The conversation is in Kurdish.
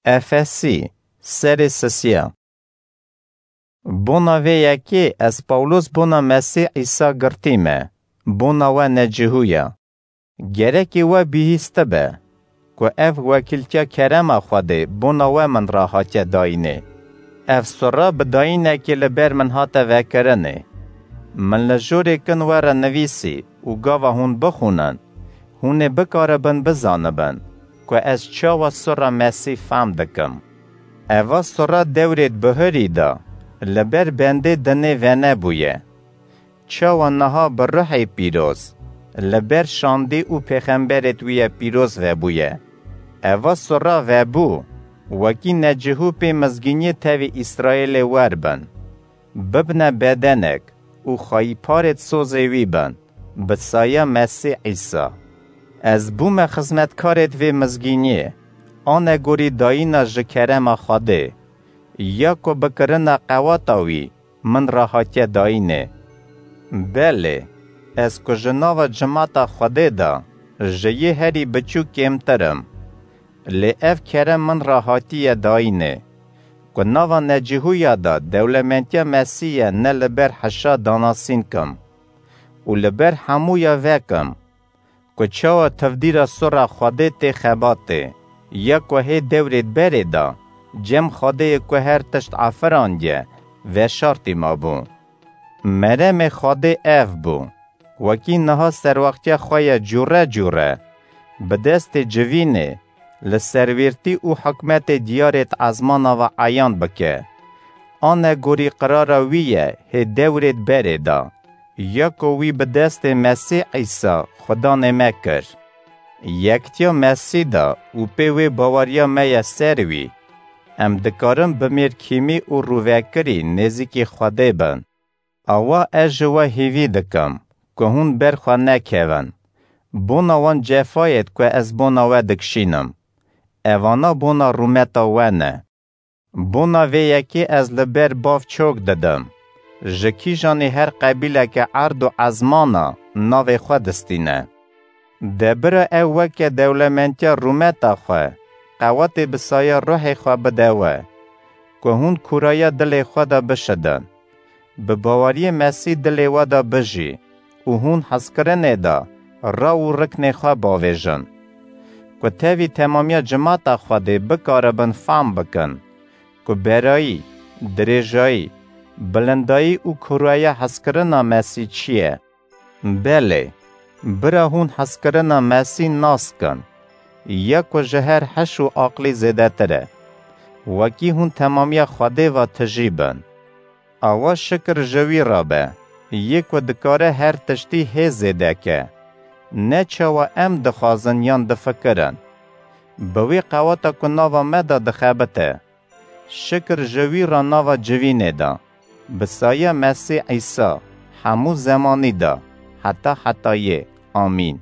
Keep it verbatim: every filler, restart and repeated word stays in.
Efesî, serê sisiya. Bona vê yekê ez Pawlos bona Mesîh Îsa girtî me, bona we necihûya. Gerekê we bihîstibe, ku ev wekîltiya kerema Xwedê bona we min re hatiye dayînê. Ev sura bi dayînekê li ber min hate vekirinê. Min li jorê kin we re nivîsî û gava hûn bixwînin, hûn ê bikaribin bizanibin, ku ez çawa sura Mesîh fam dikim. Eva sura dewrêd bihurî de, li ber bendê dinê venebûye. Çawa niha bi ruhê pîroz, li ber şandî û pêxemberêd wî ye pîroz vebûye. Eva sura vebû, wekî necihû pê mizgîniyê tevî Îsraêlê wer bin. Bibne bedenek û xweyîparêd sozê wî bin, bi saya Mesîh Îsa. Ez bûme xizmetkarêd vê mizgîniyê, anegorî dayîna ji kerema Xwedê, ya ku bi kirina qewata wî min re hatiye dayînê. Belê, ez ku ji nava cimata Xwedê de ji yê herî biçûk kêmtir im, lê ev kerem min re hatiye dayînê, ku nava necihûya de dewlementiya Mesîh ye ne li ber hişa danasîn kim û li ber hemûya vekim, ku çawa tevdîra sura Xwedê tê xebatê, ya ku hê dewrêd berê de, cem Xwedêyê ku her tişt afirandiye, veşartî mabû. Meremê Xwedê ev bû, wekî niha serwextiya xwe ye cûre cûre, bi destê civînê, li serwîrtî û hikmetê diyarêd ezmana ve eyan bike. Anegorî qirara wî ye hê dewrêd berê de, ya ku wî bi destê Mesîh Îsa Xudanê me kir. Yektiya Mesîh de û pê wê baweriya me ye ser wî, em dikarin bi mêrkîmî û rûvekirî nêzîkî Xwedê bin. Awa ez ji we hêvî dikim, ku hûn ber xwe nekevin. Bona wan cefayêd ku ez bona we dikişînim. Evana bona rûmeta we ne. Bona vê yekê ez li ber bav çok didim. Ji kîjanê her qebîleke erd û ezmana navê xwe distîne. De bira ew weke dewlementiya rûmeta xwe, qewetê bi saya ruhê xwe bide we, ku hûn kûraya dilê xwe de bişidin. Bi baweriyê Mesîh dilê we de bijî û hûn hezkirinê de raw û riknê xwe bavêjin. Ku tevî temamiya cimata Xwedê bikaribin fam bikin, ku berayî, dirêjayî, bilindayî û kûraya hezkirina Mesîh çi ye. Belê, bira hûn hezkirina Mesîh nas kin, ya ku ji her heş û aqlî zêdetir e. Wekî hûn temamiya Xwedê ve tijî bin. Awa şikir ji wî re be, yê ku dikare her tiştî hê zêde ke. Ne çawa em dixwazin yan difikirin. Bi wê qeweta ku nava me de dixebite. Şikir ji wî re nava civînê de, bi saya Mesîh Îsa, hemû zemanî de, heta hetayê. Amîn.